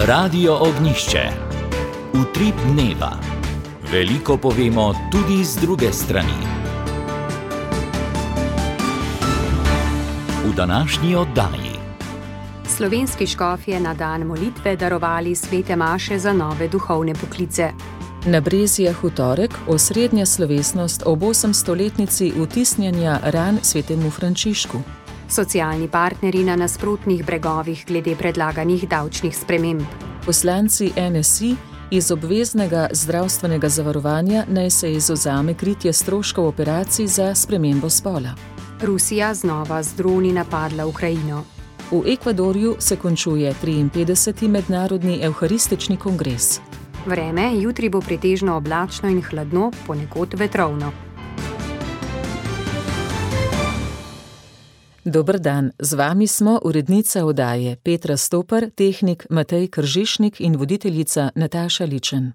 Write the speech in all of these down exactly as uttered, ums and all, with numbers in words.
Radio Ognišče. Utrip dneva. Veliko povemo tudi z druge strani. V današnji oddaji. Slovenski škofje na dan molitve darovali svete maše za nove duhovne poklice. Na Brezijah v torek osrednja slovesnost ob osemstoletnici vtisnjanja ran svetemu Frančišku. Socialni partnerji na nasprotnih bregovih glede predlaganih davčnih sprememb. Poslanci N S I iz obveznega zdravstvenega zavarovanja naj se izvzame kritje stroškov operacij za spremembo spola. Rusija znova z droni napadla Ukrajino. V Ekvadorju se končuje triinpetdeseti mednarodni evharistični kongres. Vreme jutri bo pretežno oblačno in hladno, ponekod vetrovno. Dober dan, z vami smo urednica oddaje Petra Stopar, tehnik Matej Kržišnik in voditeljica Nataša Ličen.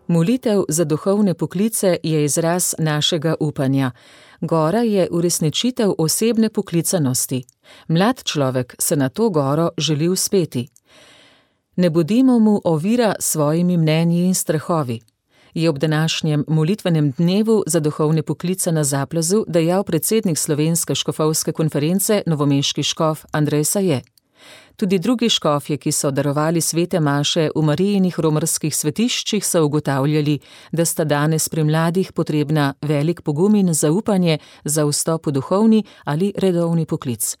Molitev za duhovne poklice je izraz našega upanja. Gora je uresničitev osebne poklicanosti. Mlad človek se na to goro želi uspeti. Ne bodimo mu ovira s svojimi mnenji in strahovi, je ob današnjem molitvenem dnevu za duhovne poklice na Zaplazu dejal predsednik Slovenske škofovske konference novomeški škof Andrej Saje. Tudi drugi škofje, ki so darovali svete maše v Marijinih romarskih svetiščih, so ugotavljali, da sta danes pri mladih potrebna velik pogum in zaupanje za vstop v duhovni ali redovni poklic.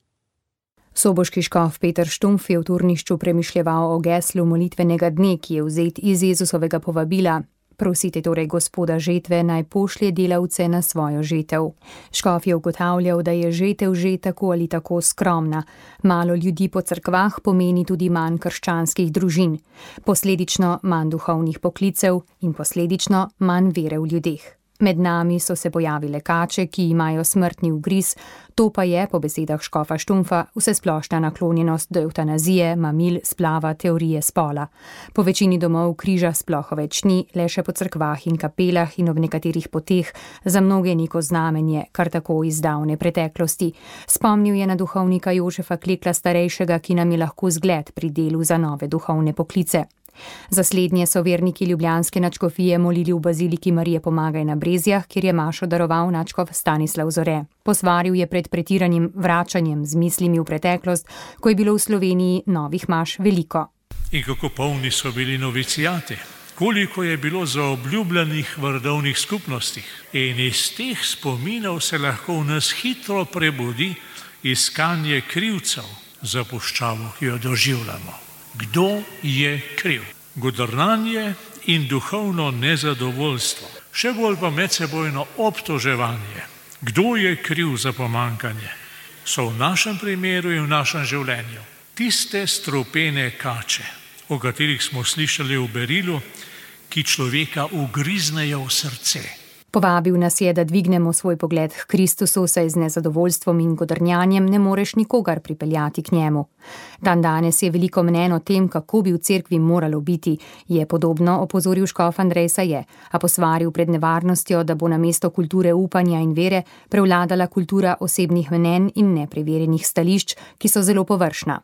Soboški škof Peter Štumpf je v Turnišču premišljeval o geslu molitvenega dne, ki je vzet iz Jezusovega povabila. Prosite torej Gospoda žetve, naj pošlje delavce na svojo žetev. Škof je ugotavljal, da je žetev že tako ali tako skromna. Malo ljudi po cerkvah pomeni tudi manj krščanskih družin. Posledično manj duhovnih poklicev in posledično manj vere v ljudeh. Med nami so se pojavile kače, ki imajo smrtni ugriz, to pa je, po besedah škofa Štumpfa, vsesplošna naklonjenost do evtanazije, mamil, splava, teorije spola. Po večini domov križa sploh več ni, le še po cerkvah in kapelah in ob nekaterih poteh, za mnoge neko znamenje, kar tako iz davne preteklosti. Spomnil je na duhovnika Jožefa Klekla starejšega, ki nam je lahko zgled pri delu za nove duhovne poklice. Za slednje so verniki ljubljanske nadškofije molili v baziliki Marije Pomagaj na Brezijah, kjer je mašo daroval nadškof Stanislav Zore. Posvaril je pred pretiranim vračanjem z mislimi v preteklost, ko je bilo v Sloveniji novih maš veliko. In kako polni so bili novicijati, koliko je bilo zaobljubljenih v redovnih skupnostih. In iz teh spominov se lahko v nas hitro prebudi iskanje krivcev za puščavo, ki jo doživljamo. Kdo je kriv? Godrnanje in duhovno nezadovoljstvo. Še bolj pa medsebojno obtoževanje. Kdo je kriv za pomankanje? So v našem primeru in v našem življenju tiste strupene kače, o katerih smo slišali v berilu, ki človeka ugriznejo v srce. Povabil nas je, da dvignemo svoj pogled k Kristusu, saj z nezadovoljstvom in godrnjanjem ne moreš nikogar pripeljati k njemu. Dan danes je veliko mnenj o tem, kako bi v cerkvi moralo biti, je podobno opozoril škof Andrej Saje, a posvaril pred nevarnostjo, da bo namesto kulture upanja in vere prevladala kultura osebnih mnenj in nepreverjenih stališč, ki so zelo površna.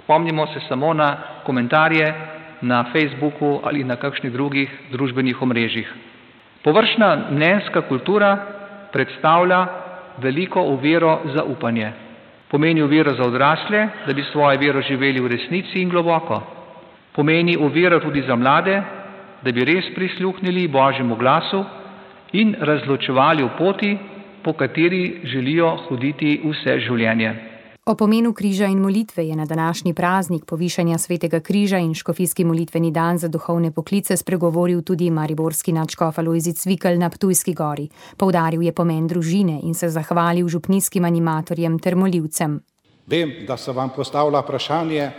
Spomnimo se samo na komentarje na Facebooku ali na kakšnih drugih družbenih omrežjih. Površna mnenjska kultura predstavlja veliko oviro za upanje. Pomeni oviro za odrasle, da bi svojo vero živeli v resnici in globoko. Pomeni oviro tudi za mlade, da bi res prisluhnili Božjemu glasu in razločevali v poti, po kateri želijo hoditi vse življenje. O pomenu križa in molitve je na današnji praznik povišanja svetega križa in škofijski molitveni dan za duhovne poklice spregovoril tudi mariborski nadškof Alojzij Cvikl na Ptujski gori. Poudaril je pomen družine in se zahvalil župnijskim animatorjem ter molivcem. Vem, da se vam postavlja vprašanje,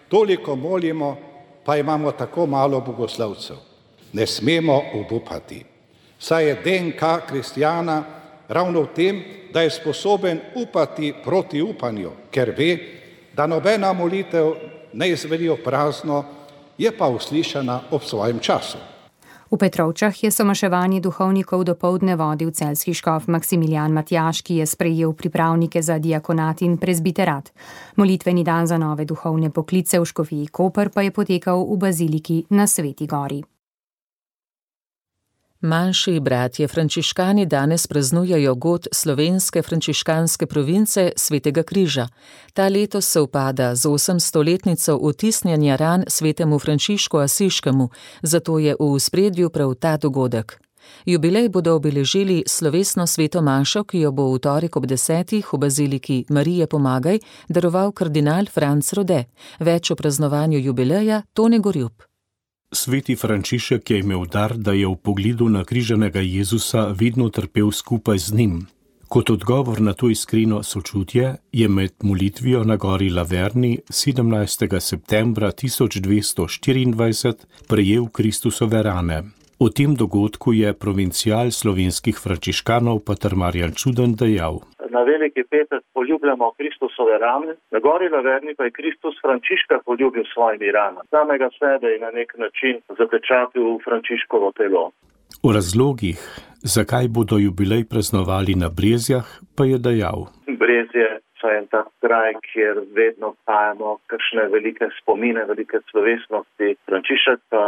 toliko molimo, pa imamo tako malo bogoslovcev. Ne smemo obupati. Saj je D N K kristjana ravno v tem, da je sposoben upati proti upanju, ker ve, da nobena molitev ne izvedi prazno, je pa uslišana ob svojem času. V Petrovčah je somaševanje duhovnikov dopoldne vodil celjski škof Maksimilijan Matjaž, ki je sprejel pripravnike za diakonat in prezbiterat. Molitveni dan za nove duhovne poklice v škofiji Koper pa je potekal v baziliki na Sveti gori. Manjši bratje frančiškani danes praznujejo god slovenske frančiškanske province Svetega križa. Ta letos se upada z osemstoletnico vtisnjanja ran svetemu Frančišku Asiškemu, zato je v ospredju prav ta dogodek. Jubilej bodo obeležili slovesno sveto mašo, ki jo bo v torek ob desetih v baziliki Marije Pomagaj daroval kardinal Franc Rode. Več o praznovanju jubileja Tone Gorjup. Sveti Frančišek je imel dar, da je v pogledu na križanega Jezusa vedno trpel skupaj z njim. Kot odgovor na to iskreno sočutje je med molitvijo na gori Laverni sedemnajstega septembra tisoč dvesto štiriindvajset prejel Kristusove rane. O tem dogodku je provincial slovenskih frančiškanov pater Marjan Čuden dejal. Na veliki petek poljubljamo Kristusove rane, na gori Laverni pa je Kristus Frančiška poljubil svojimi ranami. Samega sebe je na nek način zapečatil v Frančiškovo telo. O razlogih, zakaj bodo jubilej praznovali na Brezjah, pa je dejal. Brezje so en tak kraj, kjer vedno pajamo kakšne velike spomine, velike slovesnosti. Frančišek pa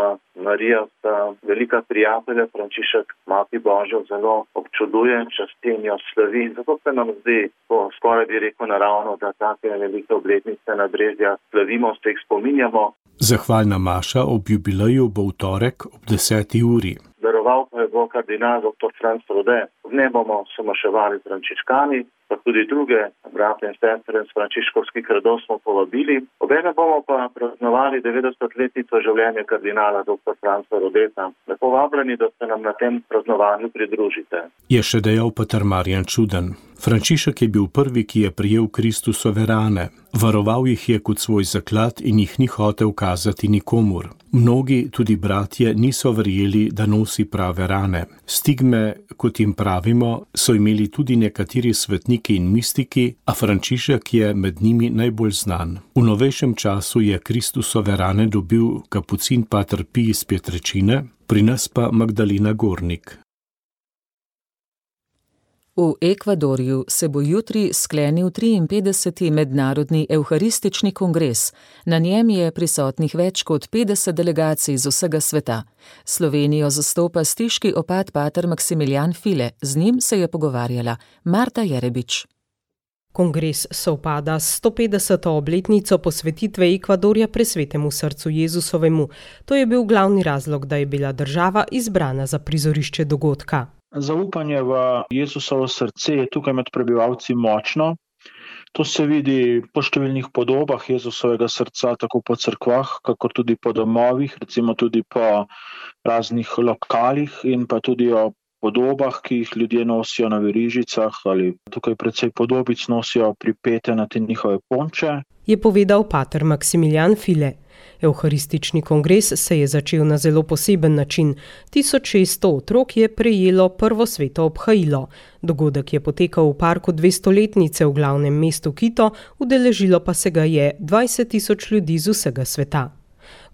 Marija sta velika prijatelja, Frančišek Mati Božjo zelo občuduje, časti in jo slavi. Zato se nam zdi, to skoraj bi rekel naravno, da take velike obletnice na Brezjah slavimo, se jih spominjamo. Zahvalna maša ob jubileju bo v torek ob deseti uri. Daroval pa je bo kardinal doktor Franc Rode. V njej bomo somaševali frančiškani, pa tudi druge brate in sestre iz frančiškovskih redov smo povabili. Obenem bomo pa praznovali devetdesetletnico življenja kardinala doktor Franca Rodeta. Lepo vabljeni, da se nam na tem praznovanju pridružite. Je še dejal pater Marjan Čuden. Frančišek je bil prvi, ki je prijel Kristusove rane. Varoval jih je kot svoj zaklad in jih ni hotel kazati nikomur. Mnogi, tudi bratje, niso verjeli, da nosi prave rane. Stigme, kot jim pravimo, so imeli tudi nekateri svetniki in mistiki, a Frančišek je med njimi najbolj znan. V novejšem času je Kristusove rane dobil kapucin pater Pij iz Petrečine, pri nas pa Magdalena Gornik. V Ekvadorju se bo jutri sklenil triinpetdeseti mednarodni evharistični kongres. Na njem je prisotnih več kot petdeset delegacij z vsega sveta. Slovenijo zastopa stiški opat pater Maksimilijan File. Z njim se je pogovarjala Marta Jerebič. Kongres sovpada s stopetdeseto obletnico posvetitve Ekvadorja presvetemu srcu Jezusovemu. To je bil glavni razlog, da je bila država izbrana za prizorišče dogodka. Zaupanje v Jezusovo srce je tukaj med prebivalci močno. To se vidi po številnih podobah Jezusovega srca, tako po cerkvah, kakor tudi po domovih, recimo tudi po raznih lokalih in pa tudi o podobah, ki jih ljudje nosijo na verižicah ali tukaj precej podobic nosijo pripete na te njihove ponče. Je povedal pater Maksimilijan File. Evharistični kongres se je začel na zelo poseben način. tisoč šeststo otrok je prejelo prvo sveto obhajilo. Dogodek je potekal v parku dvestoletnice v glavnem mestu Quito, udeležilo pa se ga je dvajset tisoč ljudi z vsega sveta.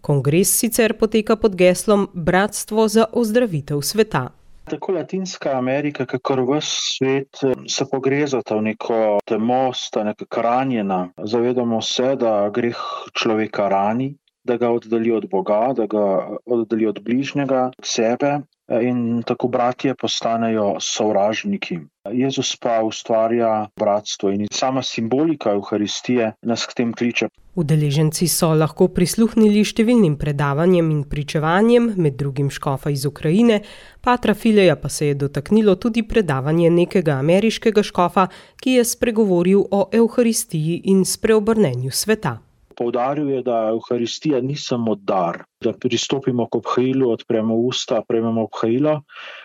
Kongres sicer poteka pod geslom Bratstvo za ozdravitev sveta. Tako Latinska Amerika, kakor ves svet se pogrezata v neko temo, sta nekako ranjena. Zavedamo se, da greh človeka rani, da ga oddali od Boga, da ga oddali od bližnjega, od sebe in tako bratje postanejo sovražniki. Jezus pa ustvarja bratstvo in sama simbolika Evharistije nas k tem kliče. Udeleženci so lahko prisluhnili številnim predavanjem in pričevanjem, med drugim škofa iz Ukrajine, patra Fileja pa se je dotaknilo tudi predavanje nekega ameriškega škofa, ki je spregovoril o Evharistiji in spreobrnenju sveta. Poudaril je, da Evharistija ni samo dar, da pristopimo k obhajilu, odpremo usta, prejmemo obhajilo,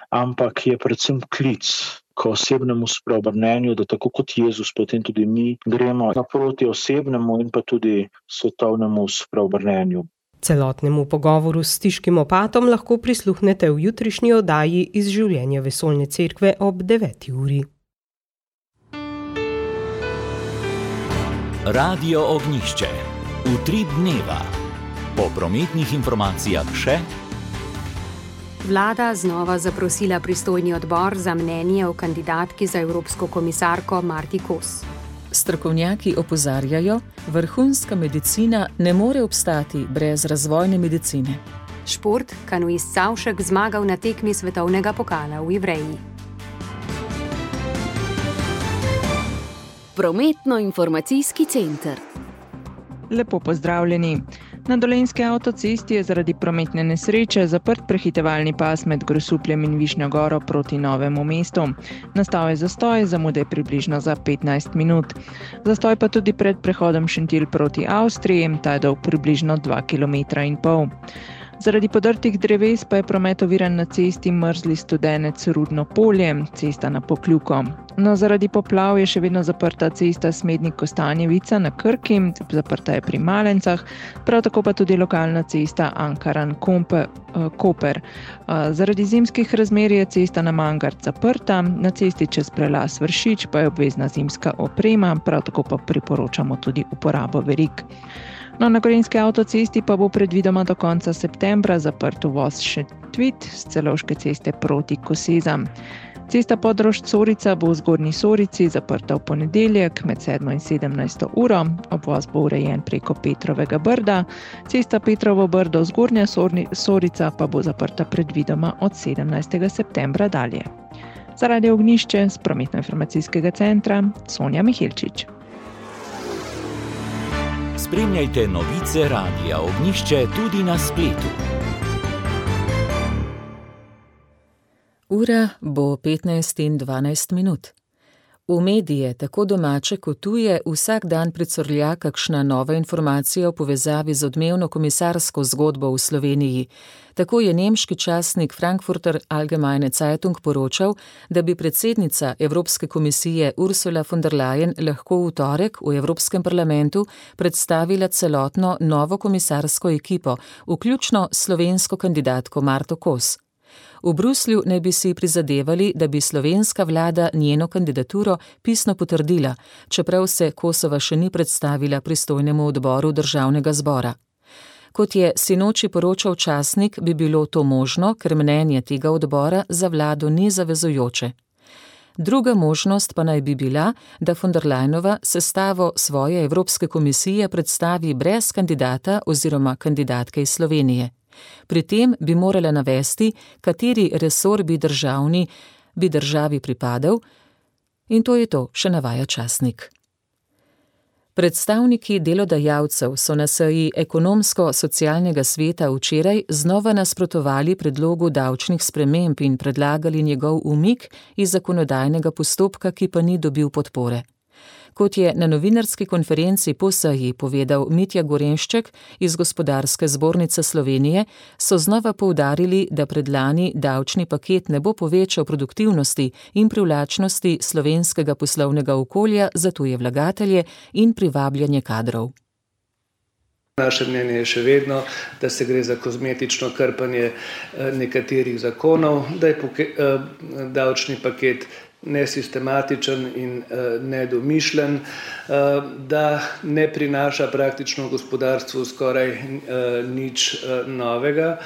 ampak je predvsem klic k osebnemu spreobrnenju, da tako kot Jezus, potem tudi mi gremo naproti osebnemu in pa tudi svetovnemu spreobrnenju. Celotnemu pogovoru s stiškim opatom lahko prisluhnete v jutrišnji oddaji iz življenja Vesoljne cerkve ob deveti uri. Radio Ognjišče. Utrip dneva. Po prometnih informacijah še Vlada znova zaprosila pristojni odbor za mnenje o kandidatki za evropsko komisarko Marti Kos. Strokovnjaki opozarjajo, vrhunska medicina ne more obstati brez razvojne medicine. Šport, kanuist Savšek zmagal na tekmi svetovnega pokala v Ivreji. Prometno-informacijski center. Lepo pozdravljeni. Na Dolenjski avtocesti je zaradi prometne nesreče zaprt prehitevalni pas med Grosupljem in Višnjo Goro proti Novemu mestu. Nastal je zastoj, zamude je približno za petnajst minut. Zastoj pa tudi pred prehodom Šentilj proti Avstriji, ta je dolg približno dva kilometra in pol. Zaradi podrtih dreves pa je promet oviran na cesti Mrzli Studenec Rudno polje, cesta na Pokljuko. No, zaradi poplav je še vedno zaprta cesta Smednik-Kostanjevica na Krki, zaprta je pri Malencah, prav tako pa tudi lokalna cesta Ankaran-Koper. Zaradi zimskih razmer je cesta na Mangart zaprta, na cesti čez prelaz Vršič pa je obvezna zimska oprema, prav tako pa priporočamo tudi uporabo verig. No, na Gorenjski avtocesti pa bo predvidoma do konca septembra zaprt uvoz Šentvit z Celovške ceste proti Kosezam. Cesta Podrož-Corica bo v Zgornji Sorici zaprta v ponedeljek med sedmo in sedemnajsto uro, obvoz bo urejen preko Petrovega Brda, cesta Petrovo Brdo Zgornja Sorica pa bo zaprta predvidoma od sedemnajstega septembra dalje. Zaradi Ognjišče z prometno-informacijskega centra Sonja Mihilčič. Spremljajte novice Radia Ognjišče tudi na spletu. Ura bo petnajst in dvanajst minut. V medije, tako domače kot tuje, vsak dan pricurlja kakšna nova informacija v povezavi z odmevno komisarsko zgodbo v Sloveniji. Tako je nemški časnik Frankfurter Allgemeine Zeitung poročal, da bi predsednica Evropske komisije Ursula von der Leyen lahko v torek v Evropskem parlamentu predstavila celotno novo komisarsko ekipo, vključno slovensko kandidatko Marto Kos. V Bruslju naj bi si prizadevali, da bi slovenska vlada njeno kandidaturo pisno potrdila, čeprav se Kosova še ni predstavila pristojnemu odboru državnega zbora. Kot je sinoči poročal časnik, bi bilo to možno, ker mnenje tega odbora za vlado ni zavezujoče. Druga možnost pa naj bi bila, da von der Leyenova sestavo svoje Evropske komisije predstavi brez kandidata oziroma kandidatke iz Slovenije. Pri tem bi morala navesti, kateri resor bi, državni, bi državi pripadal, in to je to, še navaja časnik. Predstavniki delodajalcev so na seji ekonomsko-socialnega sveta včeraj znova nasprotovali predlogu davčnih sprememb in predlagali njegov umik iz zakonodajnega postopka, ki pa ni dobil podpore. Kot je na novinarski konferenci po seji povedal Mitja Gorenšček iz Gospodarske zbornice Slovenije, so znova poudarili, da predlani davčni paket ne bo povečal produktivnosti in privlačnosti slovenskega poslovnega okolja za tuje vlagatelje in privabljanje kadrov. Naše mnenje je še vedno, da se gre za kozmetično krpanje nekaterih zakonov, da je davčni paket nesistematičen in nedomišljen, da ne prinaša praktično gospodarstvu skoraj nič novega.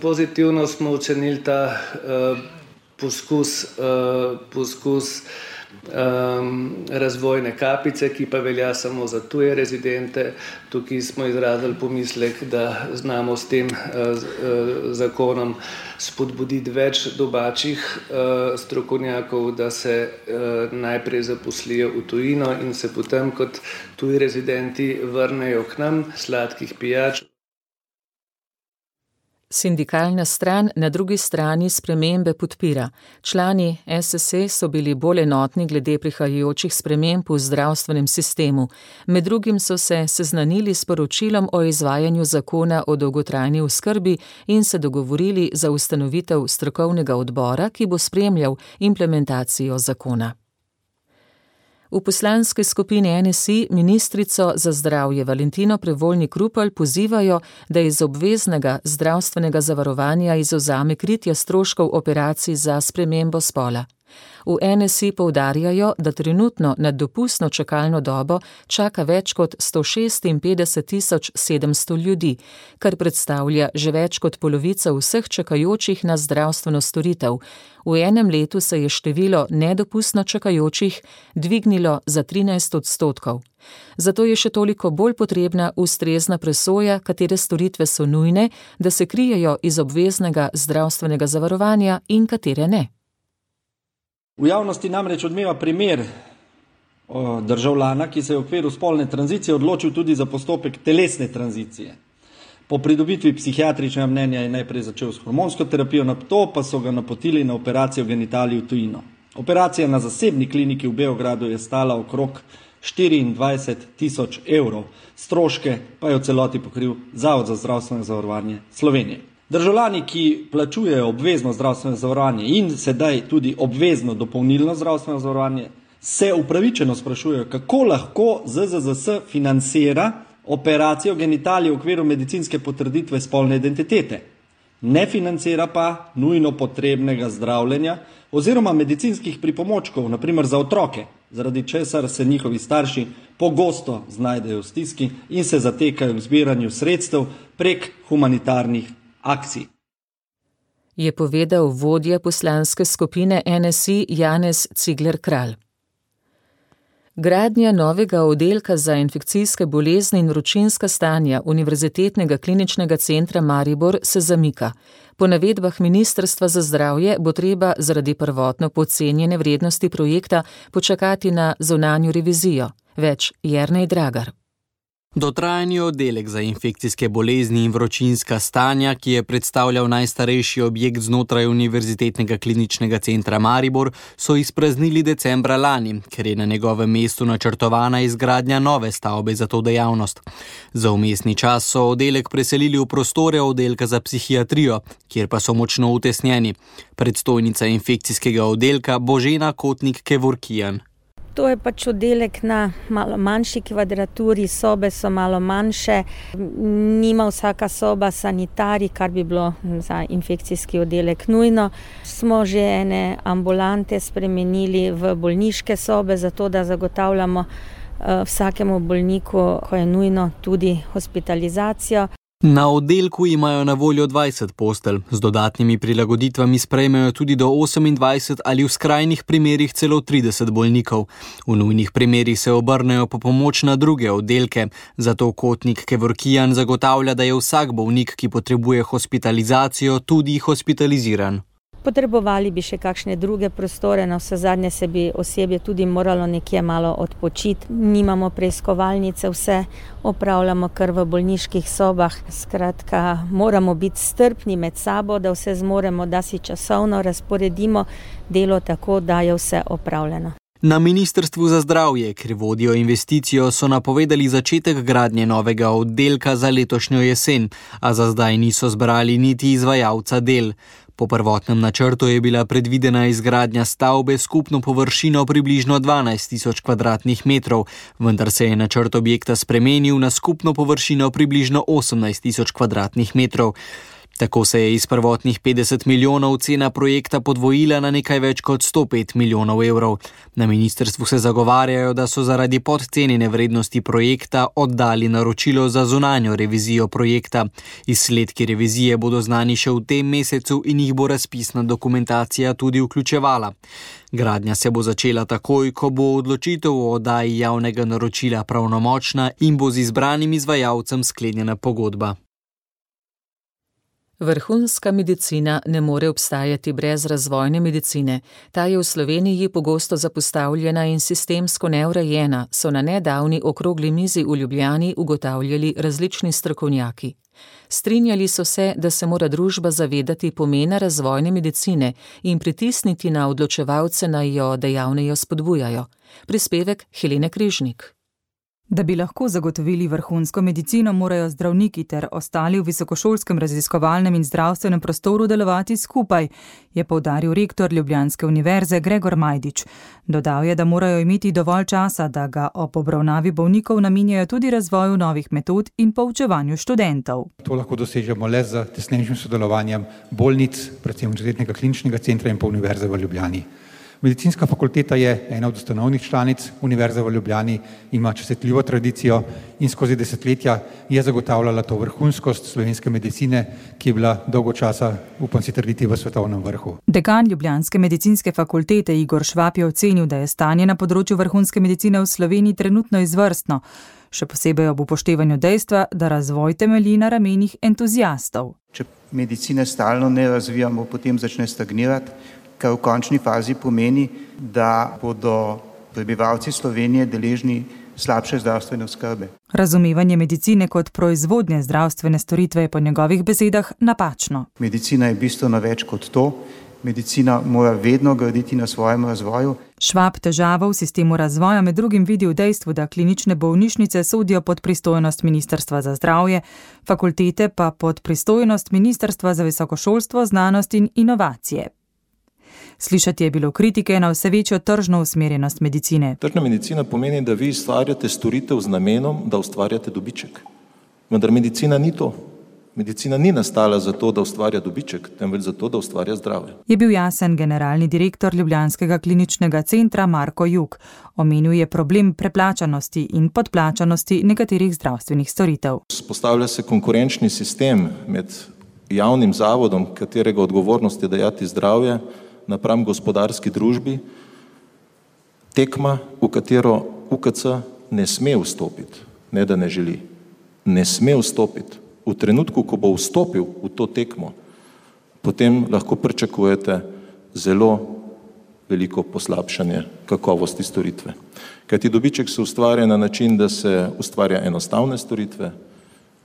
Pozitivno smo ocenili ta poskus, poskus razvojne kapice, ki pa velja samo za tuje rezidente. Tukaj smo izrazili pomislek, da znamo s tem zakonom spodbuditi več domačih strokovnjakov, da se najprej zaposlijo v tujino in se potem kot tuji rezidenti vrnejo k nam sladkih pijač. Sindikalna stran na drugi strani spremembe podpira. Člani es es e so bili bolj enotni glede prihajajočih sprememb v zdravstvenem sistemu. Med drugim so se seznanili s poročilom o izvajanju zakona o dolgotrajni oskrbi in se dogovorili za ustanovitev strokovnega odbora, ki bo spremljal implementacijo zakona. V poslanski skupini en es i ministrico za zdravje Valentino Prevolnik Rupel pozivajo, da iz obveznega zdravstvenega zavarovanja izvzame kritje stroškov operacij za spremembo spola. V N S I poudarjajo, da trenutno nad dopustno čakalno dobo čaka več kot sto šestinpetdeset tisoč sedemsto ljudi, kar predstavlja že več kot polovico vseh čakajočih na zdravstveno storitev. V enem letu se je število nedopustno čakajočih dvignilo za trinajst odstotkov. Zato je še toliko bolj potrebna ustrezna presoja, katere storitve so nujne, da se krijejo iz obveznega zdravstvenega zavarovanja in katere ne. V javnosti namreč odmeva primer državljana, ki se je v okviru spolne tranzicije odločil tudi za postopek telesne tranzicije. Po pridobitvi psihiatričnega mnenja je najprej začel s hormonsko terapijo, nato pa so ga napotili na operacijo genitalij v tujino. Operacija na zasebni kliniki v Beogradu je stala okrog štiriindvajset tisoč evrov, stroške pa je v celoti pokril Zavod za zdravstveno zavarovanje Slovenije. Državljani, ki plačujejo obvezno zdravstveno zavarovanje in sedaj tudi obvezno dopolnilno zdravstveno zavarovanje, se upravičeno sprašujejo, kako lahko Z Z Z S financira operacijo genitalij v okviru medicinske potrditve spolne identitete. Ne financira pa nujno potrebnega zdravljenja oziroma medicinskih pripomočkov, na primer za otroke, zaradi česar se njihovi starši pogosto znajdejo v stiski in se zatekajo k zbiranju sredstev prek humanitarnih akcij. Je povedal vodja poslanske skupine N S I Janez Cigler-Kralj. Gradnja novega oddelka za infekcijske bolezni in vročinska stanja Univerzitetnega kliničnega centra Maribor se zamika. Po navedbah Ministrstva za zdravje bo treba zaradi prvotno podcenjene vrednosti projekta počakati na zunanjo revizijo. Več Jernej Dragar. Dotrajani oddelek za infekcijske bolezni in vročinska stanja, ki je predstavljal najstarejši objekt znotraj Univerzitetnega kliničnega centra Maribor, so izpraznili decembra lani, ker je na njegovem mestu načrtovana izgradnja nove stavbe za to dejavnost. Za vmesni čas so oddelek preselili v prostore oddelka za psihiatrijo, kjer pa so močno utesnjeni. Predstojnica infekcijskega oddelka Božena Kotnik-Kevorkijan. To je pač oddelek na malo manjši kvadraturi, sobe so malo manjše, nima vsaka soba sanitarij, kar bi bilo za infekcijski oddelek nujno. Smo že ene ambulante spremenili v bolniške sobe, zato da zagotavljamo vsakemu bolniku, ko je nujno, tudi hospitalizacijo. Na oddelku imajo na voljo dvajset postelj, z dodatnimi prilagoditvami sprejmejo tudi do osemindvajset ali v skrajnih primerih celo trideset bolnikov. V nujnih primerih se obrnejo po pomoč na druge oddelke, zato Kotnik-Kevorkijan zagotavlja, da je vsak bolnik, ki potrebuje hospitalizacijo, tudi hospitaliziran. Potrebovali bi še kakšne druge prostore, na vse zadnje se bi osebje tudi moralo nekje malo odpočiti. Nimamo preiskovalnice, vse opravljamo kar v bolniških sobah. Skratka, moramo biti strpni med sabo, da vse zmoremo, da si časovno razporedimo delo tako, da je vse opravljeno. Na Ministrstvu za zdravje, ker vodijo investicijo, so napovedali začetek gradnje novega oddelka za letošnjo jesen, a za zdaj niso zbrali niti izvajalca del. Po prvotnem načrtu je bila predvidena izgradnja stavbe skupno površino približno dvanajst tisoč kvadratnih metrov, vendar se je načrt objekta spremenil na skupno površino približno osemnajst tisoč kvadratnih metrov. Tako se je iz prvotnih petdeset milijonov cena projekta podvojila na nekaj več kot sto pet milijonov evrov. Na ministrstvu se zagovarjajo, da so zaradi podcenjene vrednosti projekta oddali naročilo za zunanjo revizijo projekta. Izsledki revizije bodo znani še v tem mesecu in jih bo razpisna dokumentacija tudi vključevala. Gradnja se bo začela takoj, ko bo odločitev o oddaji javnega naročila pravnomočna in bo z izbranim izvajalcem sklenjena pogodba. Vrhunska medicina ne more obstajati brez razvojne medicine. Ta je v Sloveniji pogosto zapostavljena in sistemsko neurejena, so na nedavni okrogli mizi v Ljubljani ugotavljali različni strokovnjaki. Strinjali so se, da se mora družba zavedati pomena razvojne medicine in pritisniti na odločevalce, naj jo dejavneje spodbujajo. Prispevek Helene Križnik. Da bi lahko zagotovili vrhunsko medicino, morajo zdravniki ter ostali v visokošolskem raziskovalnem in zdravstvenem prostoru delovati skupaj, je poudaril rektor Ljubljanske univerze Gregor Majdič. Dodal je, da morajo imeti dovolj časa, da ga ob obravnavi bolnikov namenjajo tudi razvoju novih metod in poučevanju študentov. To lahko dosežemo le z tesnejšim sodelovanjem bolnic, predvsem Univerzitetnega kliničnega centra in pa Univerze v Ljubljani. Medicinska fakulteta je ena od ustanovnih članic Univerze v Ljubljani, ima častitljivo tradicijo in skozi desetletja je zagotavljala to vrhunskost slovenske medicine, ki je bila dolgo časa, upam si trditi, v svetovnem vrhu. Dekan Ljubljanske medicinske fakultete Igor Švab je ocenil, da je stanje na področju vrhunske medicine v Sloveniji trenutno izvrstno, še posebej ob upoštevanju dejstva, da razvoj temelji na ramenih entuziastov. Če medicine stalno ne razvijamo, potem začne stagnirati, kar v končni fazi pomeni, da bodo prebivalci Slovenije deležni slabše zdravstvene oskrbe. Razumevanje medicine kot proizvodnje zdravstvene storitve je po njegovih besedah napačno. Medicina je bistveno več kot to. Medicina mora vedno graditi na svojem razvoju. Švab težavo v sistemu razvoja med drugim vidi v dejstvu, da klinične bolnišnice sodijo pod pristojnost Ministrstva za zdravje, fakultete pa pod pristojnost Ministrstva za visokošolstvo, znanost in inovacije. Slišati je bilo kritike na vse večjo tržno usmerjenost medicine. Tržna medicina pomeni, da vi ustvarjate storitev z namenom, da ustvarjate dobiček. Vendar medicina ni to. Medicina ni nastala zato, da ustvarja dobiček, temveč zato, da ustvarja zdravje. Je bil jasen generalni direktor Ljubljanskega kliničnega centra Marko Jug. Omenil je problem preplačanosti in podplačanosti nekaterih zdravstvenih storitev. Postavlja se konkurenčni sistem med javnim zavodom, katerega odgovornost je dajati zdravje, napram gospodarski družbi, tekma, v katero U K C ne sme vstopiti, ne da ne želi, ne sme vstopiti. V trenutku, ko bo vstopil v to tekmo, potem lahko pričakujete zelo veliko poslabšanje kakovosti storitve. Kajti dobiček se ustvarja na način, da se ustvarja enostavne storitve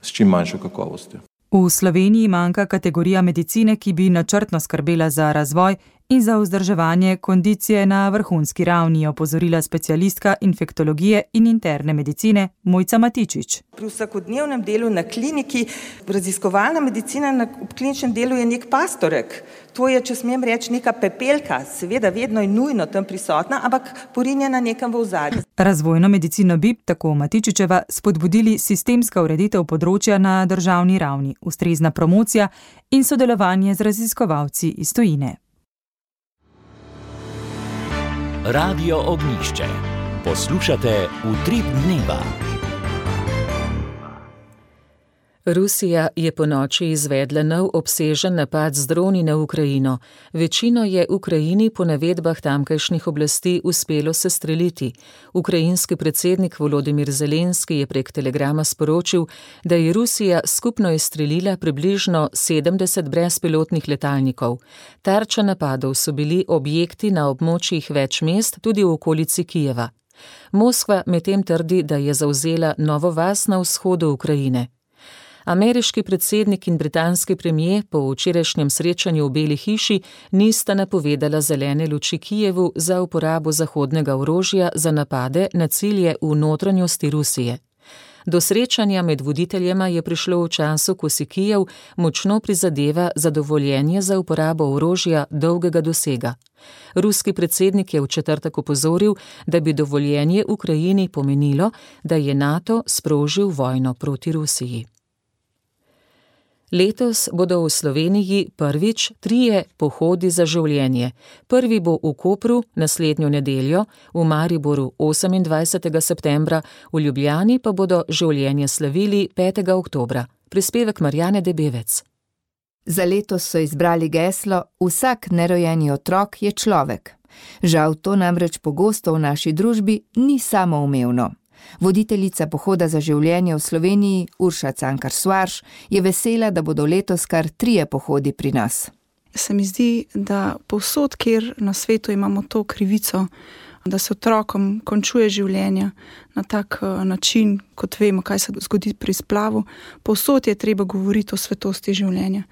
s čim manjšo kakovostjo. V Sloveniji manjka kategorija medicine, ki bi načrtno skrbela za razvoj in za vzdrževanje kondicije na vrhunski ravni, je opozorila specialistka infektologije in interne medicine Mojca Matičič. Pri vsakodnevnem delu na kliniki, raziskovalna medicina na kliničnem delu je nek pastorek. To je, če smem reči, neka pepelka, seveda vedno in nujno tam prisotna, ampak porinjena nekam v ozadju. Razvojno medicino bi, tako Matičičeva, spodbudili sistemska ureditev področja na državni ravni, ustrezna promocija in sodelovanje z raziskovalci iz tujine. Radio Ognjišče. Poslušate Utrip dneva. Rusija je ponoči izvedla nov obsežen napad z droni na Ukrajino. Večino je Ukrajini po navedbah tamkajšnjih oblasti uspelo sestreliti. Ukrajinski predsednik Volodimir Zelenski je prek telegrama sporočil, da je Rusija skupno izstrelila približno sedemdeset brezpilotnih letalnikov. Tarča napadov so bili objekti na območjih več mest, tudi v okolici Kijeva. Moskva medtem trdi, da je zavzela novo vas na vzhodu Ukrajine. Ameriški predsednik in britanski premier po včerajšnjem srečanju v Beli hiši nista napovedala zelene luči Kijevu za uporabo zahodnega orožja za napade na cilje v notranjosti Rusije. Do srečanja med voditeljema je prišlo v času, ko si Kijev močno prizadeva za dovoljenje za uporabo orožja dolgega dosega. Ruski predsednik je v četrtek opozoril, da bi dovoljenje Ukrajini pomenilo, da je NATO sprožil vojno proti Rusiji. Letos bodo v Sloveniji prvič trije pohodi za življenje. Prvi bo v Kopru naslednjo nedeljo, v Mariboru osemindvajsetega septembra, v Ljubljani pa bodo življenje slavili petega oktobra. Prispevek Marjane Debevec. Za letos so izbrali geslo Vsak nerojeni otrok je človek. Žal to namreč pogosto v naši družbi ni samoumevno. Voditeljica pohoda za življenje v Sloveniji, Urša Cankar-Svarš, je vesela, da bodo letos kar trije pohodi pri nas. Se mi zdi, da povsod, kjer na svetu imamo to krivico, da se otrokom končuje življenje na tak način, kot vemo, kaj se zgodi pri splavu, povsod je treba govoriti o svetosti življenja.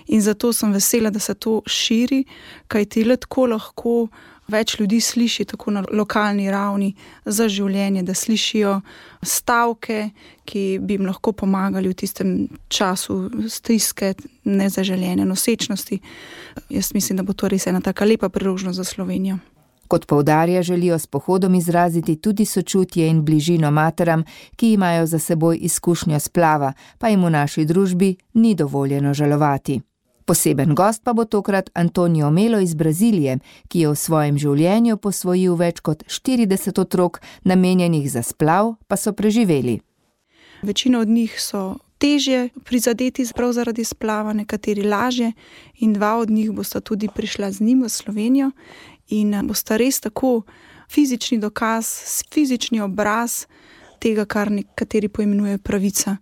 In zato sem vesela, da se to širi, kajti le tako lahko več ljudi sliši tako na lokalni ravni za življenje, da slišijo stavke, ki bi jim lahko pomagali v tistem času stiske, nezaželene nosečnosti. Jaz mislim, da bo to res ena taka lepa priložnost za Slovenijo. Kot poudarja, želijo s pohodom izraziti tudi sočutje in bližino materam, ki imajo za seboj izkušnjo splava, pa jim v naši družbi ni dovoljeno žalovati. Poseben gost pa bo tokrat Antonio Melo iz Brazilije, ki je v svojem življenju posvojil več kot štirideset otrok, namenjenih za splav, pa so preživeli. Večina od njih so težje prizadeti prav zaradi splava, nekateri lažje in dva od njih bosta tudi prišla z njim v Slovenijo in bosta res tako fizični dokaz, fizični obraz tega, kar nekateri poimenujejo pravica.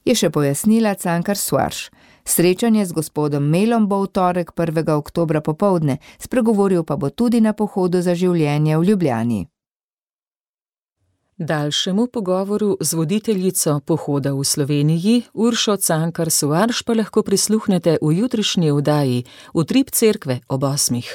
Je še pojasnila Cankar Suarš. Srečanje z gospodom Melom bo v torek prvega oktobra popoldne, spregovoril pa bo tudi na pohodu za življenje v Ljubljani. Daljšemu pogovoru z voditeljico pohoda v Sloveniji, Uršo Cankar Suarš, pa lahko prisluhnete v jutrišnji oddaji Utrip cerkve ob osmih.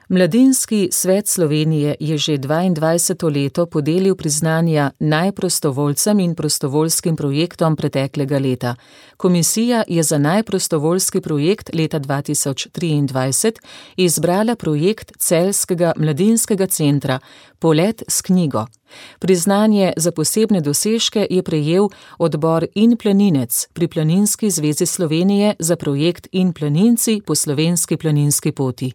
Mladinski svet Slovenije je že dvaindvajseto leto podelil priznanja najprostovoljcem in prostovoljskim projektom preteklega leta. Komisija je za najprostovoljski projekt leta dva tisoč triindvajset izbrala projekt Celjskega mladinskega centra Polet s knjigo. Priznanje za posebne dosežke je prejel odbor In planinec pri Planinski zvezi Slovenije za projekt In planinci po slovenski planinski poti.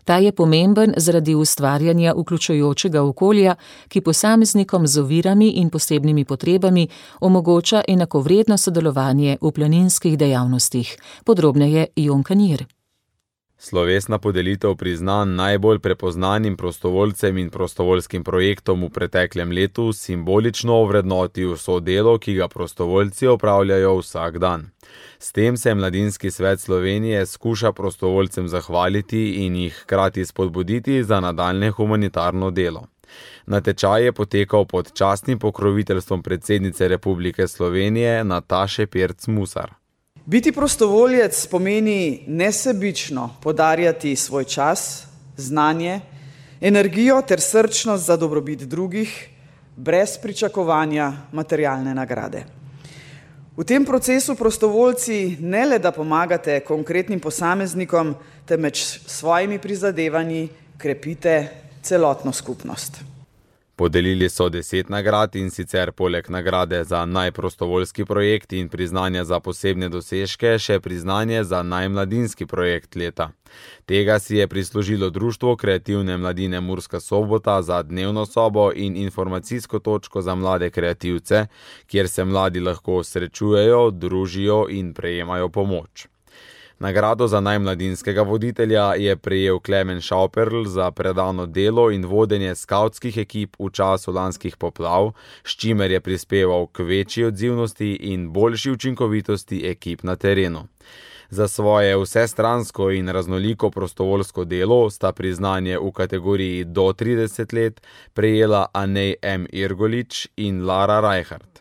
Ta je pomemben zaradi ustvarjanja vključujočega okolja, ki posameznikom z ovirami in posebnimi potrebami omogoča enakovredno sodelovanje v planinskih dejavnostih. Podrobneje Jon Kanir. Slovesna podelitev priznanj najbolj prepoznanim prostovoljcem in prostovoljskim projektom v preteklem letu simbolično ovrednoti vso delo, ki ga prostovoljci opravljajo vsak dan. S tem se Mladinski svet Slovenije skuša prostovoljcem zahvaliti in jih hkrati spodbuditi za nadaljnje humanitarno delo. Natečaj je potekal pod častnim pokroviteljstvom predsednice Republike Slovenije Nataše Pirc Musar. Biti prostovoljec pomeni nesebično podarjati svoj čas, znanje, energijo ter srčnost za dobrobit drugih, brez pričakovanja materialne nagrade. V tem procesu prostovoljci ne le da pomagate konkretnim posameznikom, temveč s svojimi prizadevanji krepite celotno skupnost. Podelili so deset nagrad in sicer poleg nagrade za najprostovoljski projekt in priznanja za posebne dosežke še priznanje za najmladinski projekt leta. Tega si je prislužilo Društvo kreativne mladine Murska Sobota za dnevno sobo in informacijsko točko za mlade kreativce, kjer se mladi lahko srečujejo, družijo in prejemajo pomoč. Nagrado za najmladinskega voditelja je prejel Klemen Šauperl za predano delo in vodenje skavtskih ekip v času lanskih poplav, s čimer je prispeval k večji odzivnosti in boljši učinkovitosti ekip na terenu. Za svoje vsestransko in raznoliko prostovoljsko delo sta priznanje v kategoriji do trideset let prejela Anej M. Irgolič in Lara Rajhart.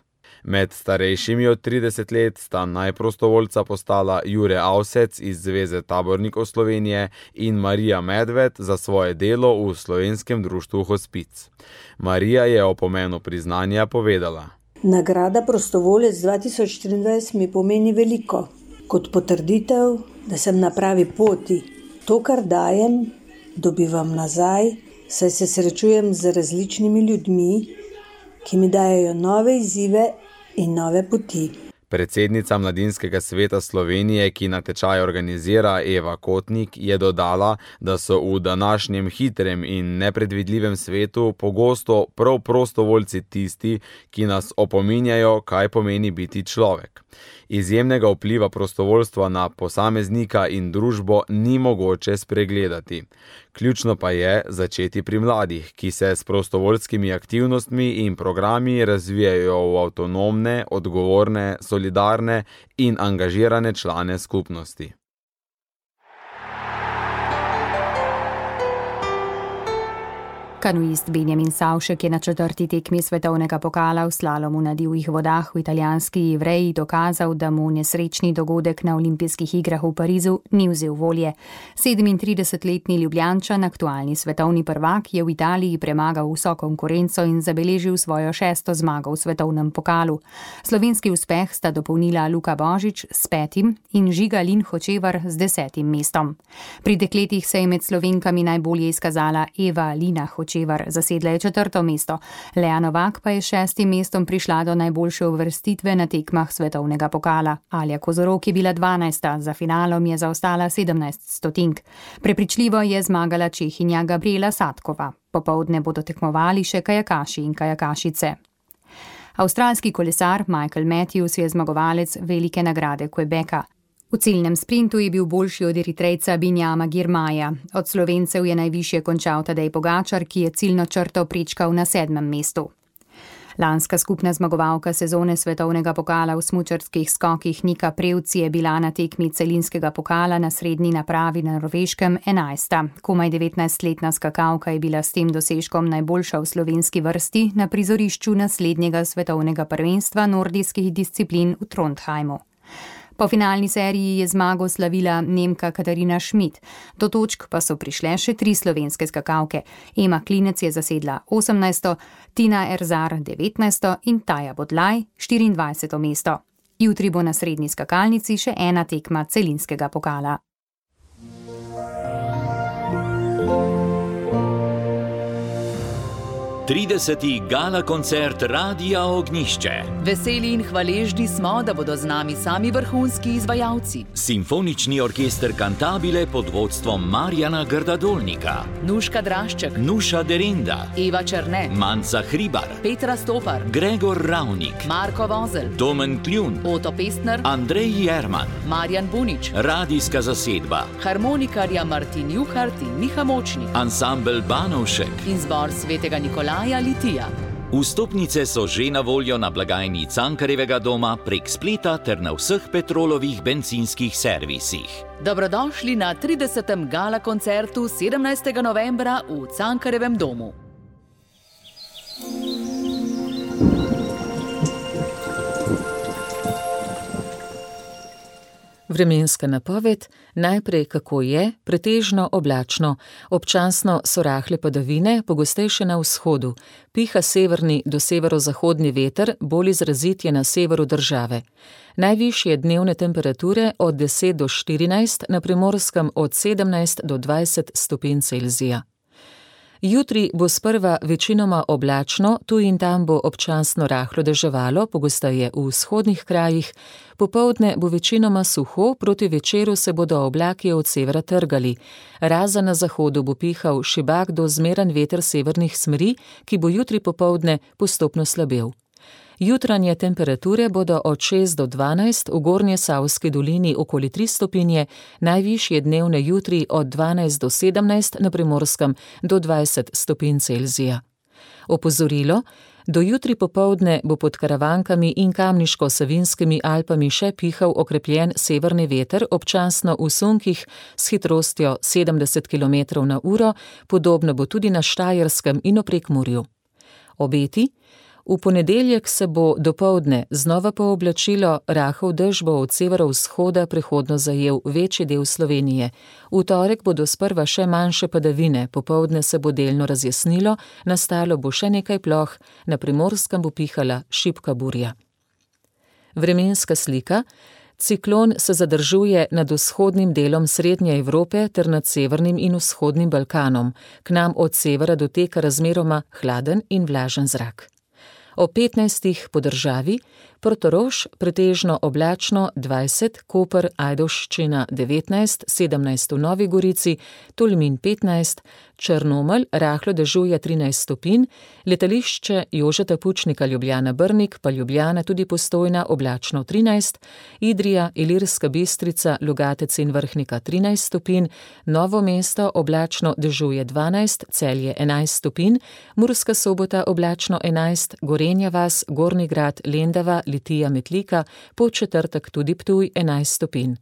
Med starejšimi od trideset let sta najprostovoljca postala Jure Avsec iz Zveze tabornikov Slovenije in Marija Medved za svoje delo v Slovenskem društvu Hospic. Marija je o pomenu priznanja povedala. Nagrada prostovoljec dva tisoč štiriindvajset mi pomeni veliko. Kot potrditev, da sem na pravi poti. To, kar dajem, dobivam nazaj, saj se srečujem z različnimi ljudmi, ki mi dajejo nove izzive in nove poti. Predsednica Mladinskega sveta Slovenije, ki natečaj organizira, Eva Kotnik, je dodala, da so v današnjem hitrem in nepredvidljivem svetu pogosto prav prostovoljci tisti, ki nas opominjajo, kaj pomeni biti človek. Izjemnega vpliva prostovoljstva na posameznika in družbo ni mogoče spregledati. Ključno pa je začeti pri mladih, ki se s prostovoljskimi aktivnostmi in programi razvijajo v avtonomne, odgovorne, solidarne in angažirane člane skupnosti. Kanuist Benjamin Savšek je na četrti tekmi svetovnega pokala v slalomu na divjih vodah v italijanski Ivreji dokazal, da mu nesrečni dogodek na olimpijskih igrah v Parizu ni vzel volje. sedemintridesetletni Ljubljančan, aktualni svetovni prvak, je v Italiji premagal vso konkurenco in zabeležil svojo šesto zmago v svetovnem pokalu. Slovenski uspeh sta dopolnila Luka Božič s petim in Žiga Lin Hočevar z desetim mestom. Pri dekletih se je med Slovenkami najbolje izkazala Eva Lina Hočevar, Hočevar zasedla je četrto mesto, Lea Novak pa je šestim mestom prišla do najboljše uvrstitve na tekmah svetovnega pokala. Alja Kozorog je bila dvanajsta, za finalom je zaostala sedemnajst stotink. Prepričljivo je zmagala Čehinja Gabriela Satkova. Popoldne bodo tekmovali še kajakaši in kajakašice. Avstralski kolesar Michael Matthews je zmagovalec velike nagrade Quebeca. V ciljnem sprintu je bil boljši od Eritrejca Binjama Girmaja. Od Slovencev je najvišje končal Tadej Pogačar, ki je ciljno črto prečkal na sedmem mestu. Lanska skupna zmagovalka sezone svetovnega pokala v smučarskih skokih Nika Prevc je bila na tekmi celinskega pokala na srednji napravi na Norveškem enajsta. Komaj devetnajstletna skakalka je bila s tem dosežkom najboljša v slovenski vrsti na prizorišču naslednjega svetovnega prvenstva nordijskih disciplin v Trondheimu. Po finalni seriji je zmago slavila Nemka Katarina Schmidt. Do točk pa so prišle še tri slovenske skakalke. Ema Klinec je zasedla osemnajsto, Tina Erzar devetnajsto in Taja Bodlaj štiriindvajseto mesto. Jutri bo na srednji skakalnici še ena tekma celinskega pokala. trideseti gala koncert Radia Ognjišče. Veseli in hvaležni smo, da bodo z nami sami vrhunski izvajalci. Simfonični orkester Cantabile pod vodstvom Marjana Grdadolnika. Nuška Drašček, Nuša Derinda, Eva Černe, Manca Hribar, Petra Stopar, Gregor Ravnik, Marko Vozel, Domen Kljun, Oto Pestner, Andrej Jerman, Marjan Bunič, radijska zasedba, harmonikarja Martin Juhart in Miha Močnik, ansambel Banovšek in zbor svetega Nikolaja Litija. Vstopnice so že na voljo na blagajni Cankarjevega doma prek spleta ter na vseh Petrolovih bencinskih servisih. Dobrodošli na tridesetem gala koncertu sedemnajstega novembra v Cankarjevem domu. Vremenska napoved, najprej kako je, pretežno oblačno, občasno so rahle padavine, pogostejše na vzhodu, piha severni do severozahodni veter, bolj izrazit je na severu države. Najvišje dnevne temperature od deset do štirinajst, na Primorskem od sedemnajst do dvajset stopinj Celzija. Jutri bo sprva večinoma oblačno, tu in tam bo občasno rahlo deževalo, pogosteje v vzhodnih krajih, popoldne bo večinoma suho, proti večeru se bodo oblaki od severa trgali. Razen na zahodu bo pihal šibak do zmeren veter severnih smeri, ki bo jutri popoldne postopno slabel. Jutranje temperature bodo od šest do dvanajst, v Gornje Savski dolini okoli tri stopinje, najvišje dnevne jutri od dvanajst do sedemnajst, na Primorskem do dvajset stopinj Celzija. Opozorilo, do jutri popoldne bo pod Karavankami in Kamniško-Savinskimi Alpami še pihal okrepljen severni veter, občasno v sunkih s hitrostjo sedemdeset kilometrov na uro, podobno bo tudi na Štajerskem in v Prekmurju. Obeti. V ponedeljek se bo dopoldne znova pooblačilo, rahel dež bo od severovzhoda prehodno zajel večji del Slovenije. V torek bodo sprva še manjše padavine, popoldne se bo delno razjasnilo, nastalo bo še nekaj ploh, na Primorskem bo pihala šibka burja. Vremenska slika. Ciklon se zadržuje nad vzhodnim delom Srednje Evrope ter nad severnim in vzhodnim Balkanom. K nam od severa doteka razmeroma hladen in vlažen zrak. O petnajstih po državi, Portorož pretežno oblačno dvajset, Koper, Ajdovščina devetnajst, sedemnajst v Novi Gorici, Tolmin petnajst, Črnomelj rahlo dežuje trinajst stopinj, letališče Jožeta Pučnika Ljubljana Brnik pa Ljubljana tudi Postojna oblačno trinajst, Idrija, Ilirska Bistrica, Logatec in Vrhnika trinajst stopinj, Novo mesto oblačno dežuje dvanajst, Celje enajst stopinj, Murska Sobota oblačno enajst, Gorenja vas, Gornji Grad, Lendava, Litija, Metlika, Podčetrtek tudi Ptuj enajst stopinj.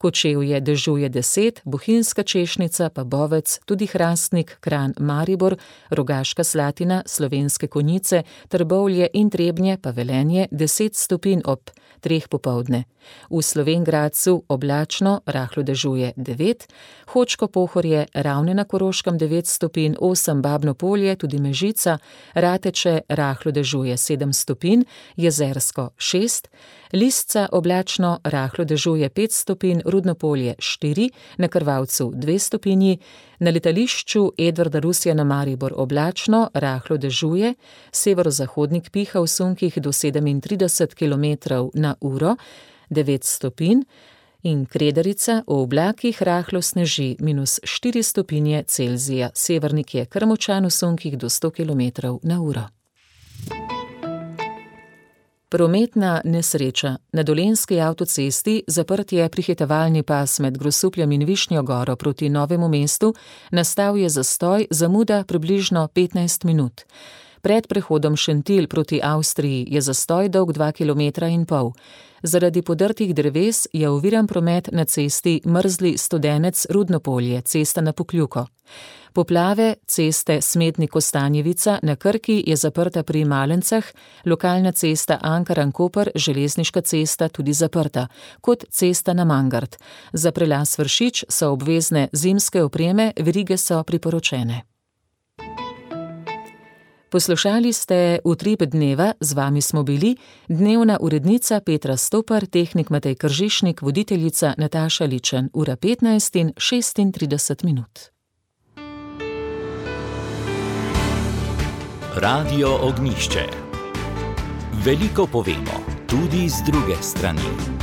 Kočevje dežuje deset, Bohinjska Češnica pa Bovec, tudi Hrastnik, Kranj, Maribor, Rogaška Slatina, Slovenske Konjice, Trbovlje in Trebnje pa Velenje deset stopinj ob treh popoldne. V Slovenj Gradcu oblačno, rahlo dežuje devet, Hočko Pohorje, Ravne na Koroškem devet stopinj, osem Babno Polje, tudi Mežica, Rateče rahlo dežuje sedem stopinj, Jezersko šest, Lisca oblačno, rahlo dežuje pet stopinj, Rudno-Polje štiri, na Krvavcu dve stopinji, na letališču Edvarda Rusjana Maribor oblačno, rahlo dežuje, severozahodnik piha v sunkih do sedemintrideset kilometrov na uro, devet stopinj, in Kredarica v oblakih rahlo sneži, minus štiri stopinje Celzija, severnik je kar močan v sunkih do sto kilometrov na uro. Prometna nesreča. Na Dolenjski avtocesti zaprt je prihitevalni pas med Grosupljem in Višnjo Goro proti Novemu mestu, nastal je zastoj, zamuda približno petnajst minut. Pred prehodom Šentilj proti Avstriji je zastoj dolg dva kilometra in pol. Zaradi podrtih dreves je oviran promet na cesti Mrzli Studenec Rudno-Polje, cesta na Pokljuko. Poplave ceste Smetnik-Kostanjevica na Krki je zaprta pri Malencah, lokalna cesta Ankaran-Koper, železniška cesta tudi zaprta, kot cesta na Mangart. Za prelaz Vršič so obvezne zimske opreme, verige so priporočene. Poslušali ste Utrip dneva, z vami smo bili dnevna urednica Petra Stopar, tehnik Matej Kržišnik, voditeljica Nataša Ličen, ura petnajst in šestintrideset minut. Radio Ognjišče. Veliko povemo, tudi z druge strani.